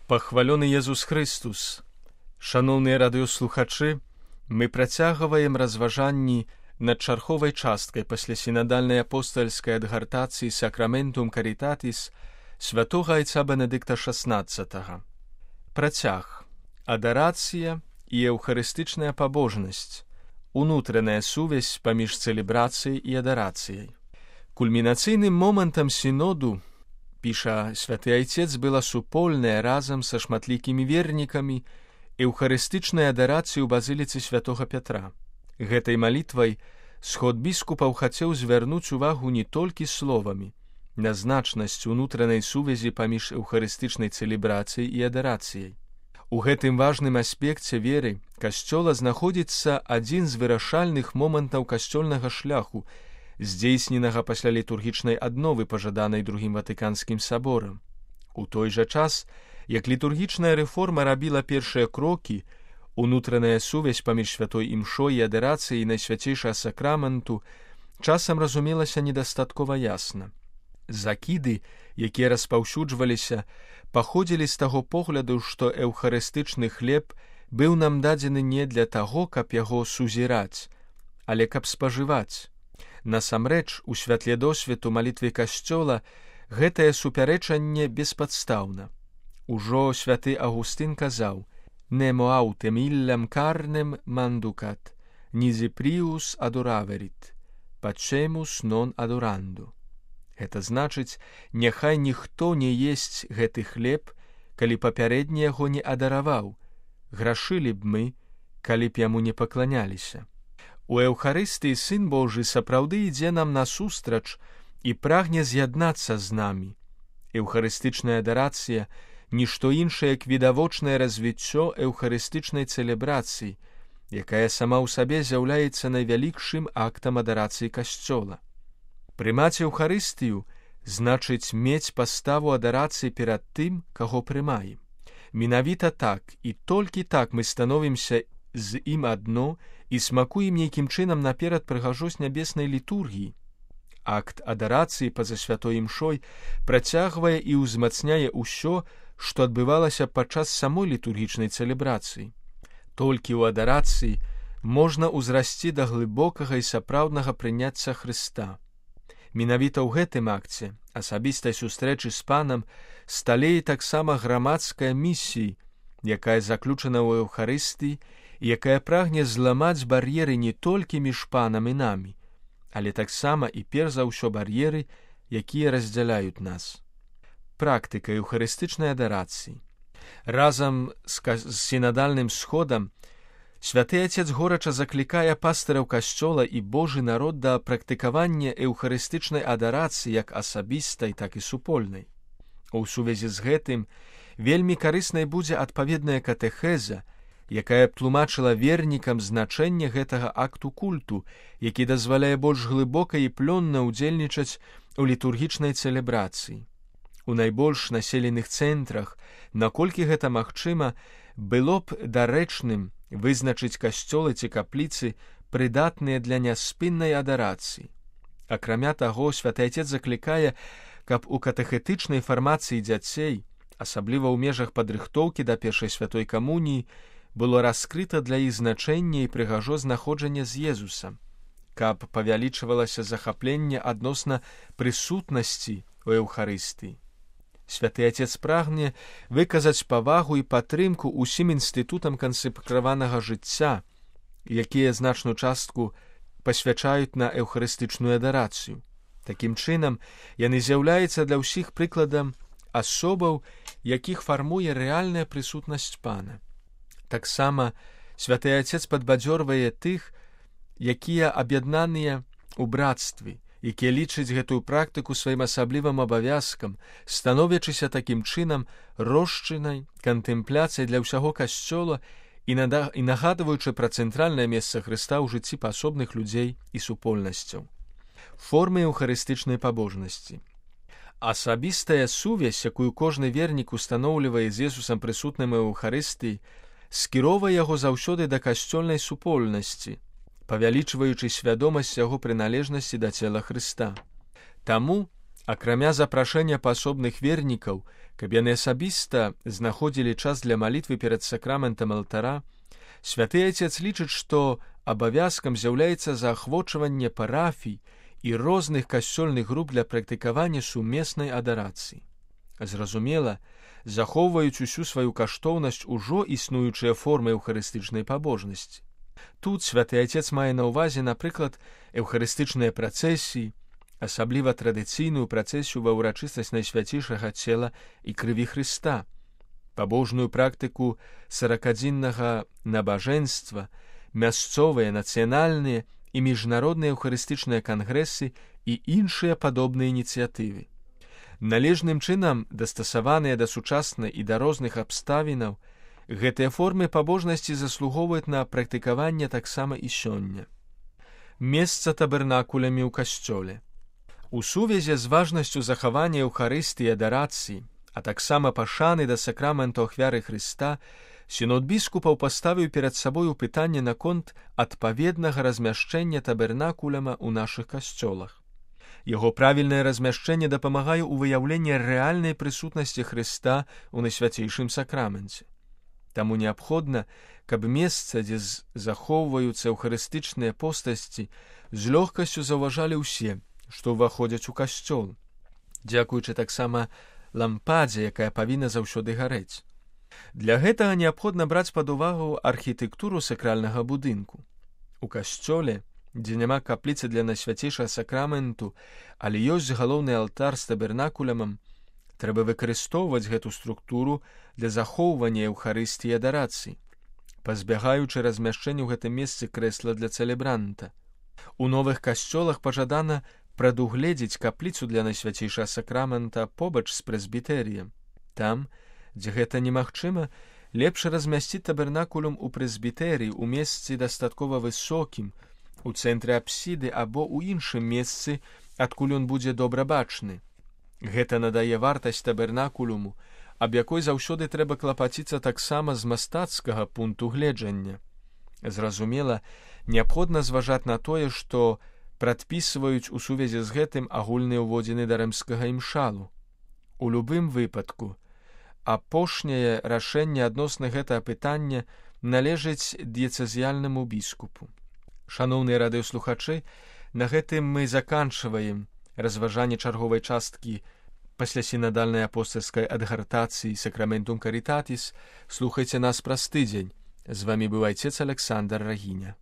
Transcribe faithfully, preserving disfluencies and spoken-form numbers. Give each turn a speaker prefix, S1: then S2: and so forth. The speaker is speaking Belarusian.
S1: Пахвалёны Езус Христус! Шаноўныя радыёслухачы, мы працягваем разважанні над чарговай часткай пасля сінадальнай апостальскай адгартацыі Сакраментум Карітатіс святога айца Бенедыкта шаснаццатага. Працяг. Адарацыя і эўхарыстычная пабожнасць. Унутраная сувязь паміж цэлебрацыяй і адарацыяй. Кульмінацыйным момантам сіноду, піша святы айцец, была супольная разам са шматлікімі вернікамі эўхарыстычная адарацыя ў базіліцы святога Пятра. Гэтай малітвай сход біскупаў хацеў звярнуць увагу не толькі словамі на значнасць унутранай сувязі паміж эўхарыстычнай цэлебрацыяй і адарацыяй. У гэтым важным аспекце веры касцёла знаходзіцца адзін з вырашальных момантаў касцёльнага шляху, здзейсненага пасля літургічнай адновы, пажаданай другім Ватыканскім саборам. У той жа час, як літургічная рэформа рабіла першыя крокі, унутраная сувязь паміж святой імшой і адарацыяй найсвяцейшага сакраменту часам разумелася недастаткова ясна. Закіды, якія распаўсюджваліся, паходзілі з таго погляду, што эўхарыстычны хлеб быў нам дадзены не для таго, каб яго сузіраць, але каб спажываць. Насамрэч, у святле досведу малітвы касцёла гэтае супярэчанне беспадстаўна. Ужо святы Агустын казаў: «Nemo autem illem carnem manducat, nisi prius adoraverit, pacemus non adorando». Гэта значыць, няхай ніхто не есць гэты хлеб, калі папярэдні яго не адараваў. Грашылі б мы, калі б яму не пакланяліся. У Эўхарыстыі Сын Божы сапраўды ідзе нам насустрач і прагне з'яднацца з намі. Эўхарыстычная адарацыя – нішто іншае, як відавочнае развіццё эўхарыстычнай цэлебрацыі, якая сама ў сабе з'яўляецца найвялікшым актам адарацыі касцёла. Прымаць Эўхарыстыю значыць мець паставу адарацыі перад тым, каго прымаем. Менавіта так і толькі так мы становімся з ім адно і смакуем нейкім чынам наперад прыгажосць нябеснай літургіі. Акт адарацыі па-за святой імшой працягвае і ўзмацняе ўсё, што адбывалася падчас самой літургічнай цэлебрацыі. Толькі ў адарацыі можна ўзрасці да глыбокага і сапраўднага прыняцця Хрыста. Менавіта ў гэтым акце асабістай сустрэчы з Панам сталее таксама грамадская місія, якая заключана ў Эўхарыстыі і якая прагне зламаць бар'еры не толькі між Панам і намі, але таксама і перш за ўсё бар'еры, якія раздзяляюць нас. Практыка эўхарыстычнай адарацыі. Разам з, з сінадальным сходам святы Айцец горача заклікае пастыраў касцёла і Божы народ да практыкавання эўхарыстычнай адарацыі як асабістай, так і супольнай. У сувязі з гэтым вельмі карыснай будзе адпаведная катэхеза, якая б тлумачыла вернікам значэнне гэтага акту культу, які дазваляе больш глыбока і плённа ўдзельнічаць у літургічнай цэлебрацыі. У найбольш населеных цэнтрах, наколькі гэта магчыма, было б дарэчным вызначыць касцёлы ці капліцы, прыдатныя для няспыннай адарацыі. Акрамя таго, святы Айцец заклікае, каб у катэхетычнай фармацыі дзяцей, асабліва ў межах падрыхтоўкі да першай святой камуніі, было раскрыта для іх значэнне і прыгажосць знаходжання з Езусам, каб павялічвалася захапленне адносна прысутнасці ў Эўхарыстыі. Святы Айцец прагне выказаць павагу і падтрымку ўсім інстытутам кансекраванага жыцця, якія значную частку пасвячаюць на эўхарыстычную адарацыю. Такім чынам, яны з'яўляюцца для ўсіх прыкладам асобаў, якіх фармуе рэальная прысутнасць Пана. Таксама святы Айцец падбадзёрвае тых, якія аб'яднаныя ў брацтве, якія лічаць гэтую практыку сваім асаблівым абавязкам, становячыся такім чынам рошчынай кантэмпляцыяй для ўсяго касцёла і, нада... і нагадваючы пра цэнтральнае месца Хрыста ў жыцці паасобных людзей і супольнасцяў. Формы эўхарыстычнай пабожнасці. Асабістая сувязь, якую кожны вернік устаноўлівае з Езусам прысутным у Эўхарыстыі, скіроўвае яго заўсёды да касцёльнай супольнасці, павялічваючы свядомасць яго прыналежнасці да цела Хрыста. Таму Акрамя запрашэння паасобных вернікаў, каб яны асабіста знаходзілі час для малітвы перад сакраментам алтара, святы Отец лічыць, што абавязкам з'яўляецца заахвочванне парафій і розных касцёльных груп для практыкавання сумеснай адарацыі. Зразумела, захоўваюць усю сваю каштоўнасць ужо існуючыя формы эўхарыстычнай пабожнасці. Тут святы Отец мае на ўвазе, напрыклад, эўхарыстычныя працэсіі, асабліва традыцыйную працэсію ва ўрачыстасць найсвяцейшага цела і крыві Хрыста, пабожную практыку саракадзіннага набажэнства, мясцовыя, нацыянальныя і міжнародныя эўхарыстычныя кангрэсы і іншыя падобныя ініцыятывы. Належным чынам дастасаваныя да сучаснай і да розных абставінаў, гэтыя формы пабожнасці заслугоўваюць на практыкаванне таксама і сёння. Месца табернакулямі ў касцёле. У сувязі з важнасцю захавання эўхарыстыі і адарацыі, а таксама пашаны да сакраменту ахвяры Хрыста, сінод біскупаў паставіў перад сабою пытанне наконт адпаведнага размяшчэння табернакуляма ў нашых касцёлах. Яго правільнае размяшчэнне дапамагае ў выяўленні рэальнай прысутнасці Хрыста ў найсвяцейшым сакраменце. Таму неабходна, каб месца, дзе захоўваюцца эўхарыстычныя постасці, з лёгкасцю заўважалі ўсе, што ўваходзяць у касцёл, дзякуючы таксама лампадзе, якая павінна заўсёды гарэць. Для гэтага неабходна браць пад увагу архітэктуру сакральнага будынку. У касцёле, дзе няма капліцы для найсвяцейшага сакраменту, але ёсць галоўны алтар з табернакулямам, трэба выкарыстоўваць гэту структуру для захоўвання эўхарыстыі і адарацыі, пазбягаючы размяшчэння ў гэтым месцы крэсла для цэлебранта. У новых касцёлах пажадана прадугледзець капліцу для найсвяцейшага сакрамента побач з прэзбітэрыем. Там, дзе гэта немагчыма, лепш размясціць табернакулум у прэзбітэрыі ў месцы дастаткова высокім, у цэнтры апсіды або ў іншым месцы, адкуль ён будзе добра бачны. Гэта надае вартасць табернакулуму, аб якой заўсёды трэба клапаціцца таксама з мастацкага пункту гледжання. Зразумела, неабходна зважаць на тое, што прадпісваюць у сувязі з гэтым агульныя ўводзіны да рымскага імшалу. У любым выпадку, апошняе рашэнне адносна гэтага пытання належыць дыяцэзіяльнаму біскупу. Шаноўныя радыёслухачы, на гэтым мы заканчваем разважанне чарговай часткі паслясінадальнай апостальскай адгартацыі Сакраментум Карітатіс. Слухайце нас праз тыдзень. З вамі быў айцец Александр Рагіня.